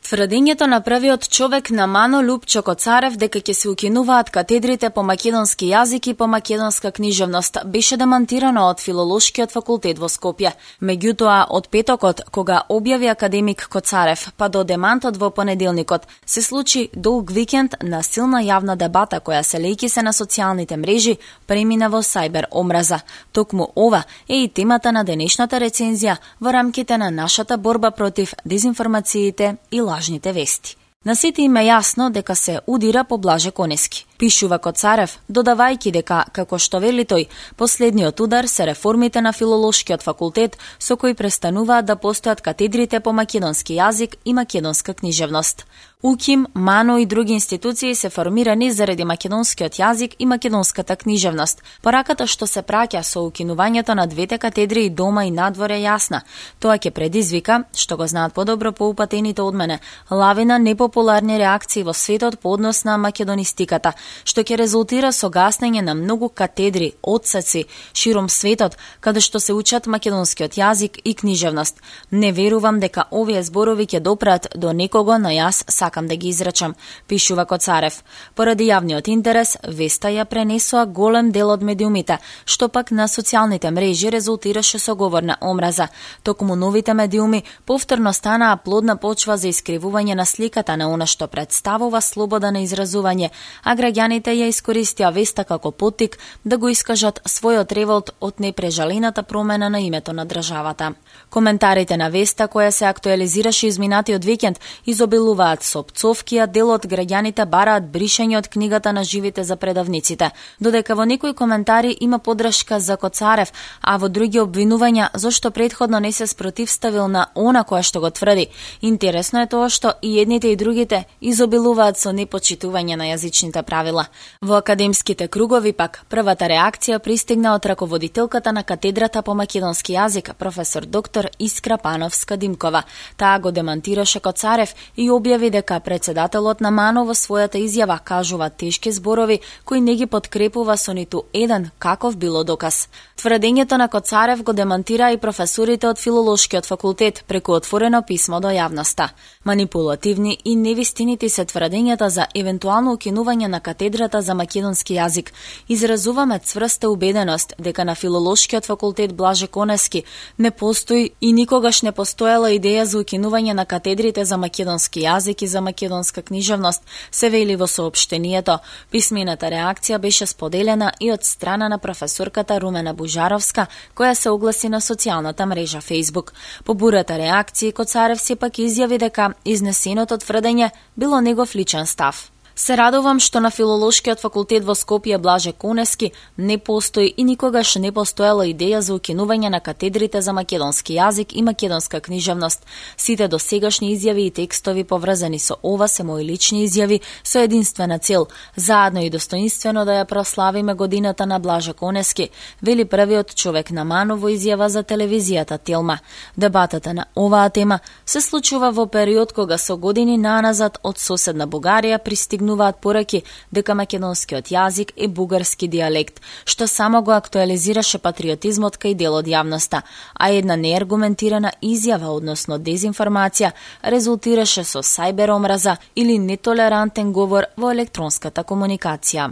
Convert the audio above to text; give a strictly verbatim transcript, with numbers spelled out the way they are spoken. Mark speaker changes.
Speaker 1: Тврдењето на првиот човек на Мано Лупчо Коцарев дека ќе се укинуваат катедрите по македонски јазик и по македонска книжевност беше демантирано од Филолошкиот факултет во Скопје. Меѓутоа, од петокот, кога објави академик Коцарев, па до демантот во понеделникот, се случи долг викенд на силна јавна дебата која се лејки се на социјалните мрежи премина во сајбер омраза. Токму ова е и темата на денешната рецензија во рамките на нашата борба против дезинформациите и лажните вести. На сите им е јасно дека се удира по Блаже Конески. Пишува Коцарев, додавајќи дека, како што вели тој, последниот удар се реформите на Филолошкиот факултет со кои престануваат да постојат катедрите по македонски јазик и македонска книжевност. УКИМ, МАНО и други институции се формирани заради македонскиот јазик и македонската книжевност. Пораката што се праќа со укинувањето на двете катедри и дома и надвор е јасна. Тоа ќе предизвика, што го знаат подобро поупатените од мене, лавина непопуларни реакции во светот по однос на македонистиката, што ќе резултира со гаснење на многу катедри, отсеци широм светот, каде што се учат македонскиот јазик и книжевност. Не верувам дека овие зборови ќе допрат до некого, но јас сакам да ги изречам, пишува Коцарев. Поради јавниот интерес, веста ја пренесоа голем дел од медиумите, што пак на социјалните мрежи резултираше со говор на омраза. Токму новите медиуми повторно станаа плодна почва за искривување на сликата на она што представува слобода на изразување, а граѓаните ја искористија веста како поттик да го искажат својот револт од непрежалената промена на името на државата. Коментарите на веста, која се актуализираше изминатиот викенд, изобилуваат со пцовки, а дел од граѓаните бараат бришање од книгата на живите за предавниците, додека во некои коментари има подршка за Коцарев, а во други обвинувања зашто претходно не се спротивставил на она која што го тврди. Интересно е тоа што и едните и другите изобилуваат со непочитување на јазичните правила. Во академските кругови пак првата реакција пристигна од раководителката на катедрата по македонски јазик, професор доктор Искра Пановска-Димкова. Таа го демантираше Коцарев и објави дека председателот на МАНО во својата изјава кажува тешки зборови кои не ги подкрепува со ниту еден каков било доказ. Тврдењето на Коцарев го демантира и професорите од Филолошкиот факултет преку отворено писмо до јавноста. Манипулативни и невистинити се тврдењата за евентуално укинување на катедрата за македонски јазик. Изразуваме цврста убеденост дека на Филолошкиот факултет Блаже Конески не постои и никогаш не постоела идеја за укинување на катедрите за македонски јазик и за македонска книжевност, се вели во соопштенијето. Писмената реакција беше споделена и од страна на професорката Румена Бужаровска, која се огласи на социјалната мрежа Facebook. По бурата реакција, Коцарев сепак изјави дека изнесеното тврдење било негов личен став. Се радувам што на Филолошкиот факултет во Скопје Блаже Конески не постои и никогаш не постоела идеја за укинување на катедрите за македонски јазик и македонска книжевност. Сите досегашни изјави и текстови поврзани со ова се мои лични изјави со единствена цел, заедно и достоинствено да ја прославиме годината на Блаже Конески, вели првиот човек на МАНО во изјава за телевизијата Телма. Дебатата на оваа тема се случува во период кога со години наназад од соседна Бугарија пристигнуваат пораки дека македонскиот јазик е бугарски дијалект, што само го актуализираше патриотизмот кај дел од јавноста, а една неаргументирана изјава, односно дезинформација, резултираше со сајбер омраза или нетолерантен говор во електронската комуникација.